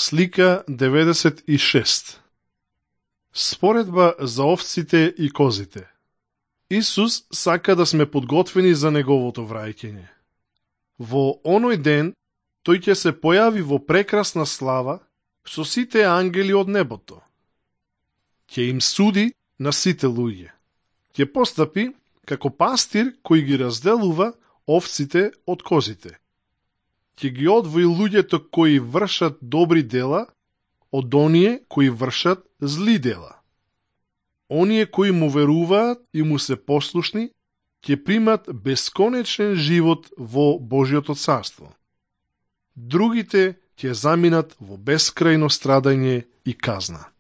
Слика 96. Споредба за овците и козите. Исус сака да сме подготвени за неговото враќање. Во оној ден, тој ќе се појави во прекрасна слава со сите ангели од небото. Ќе им суди на сите луѓе. Ќе постапи како пастир кој ги разделува овците од козите. Ќе ги одвои луѓето кои вршат добри дела од оние кои вршат зли дела. Оние кои му веруваат и му се послушни, ќе примат бесконечен живот во Божјото царство. Другите ќе заминат во бескрајно страдање и казна.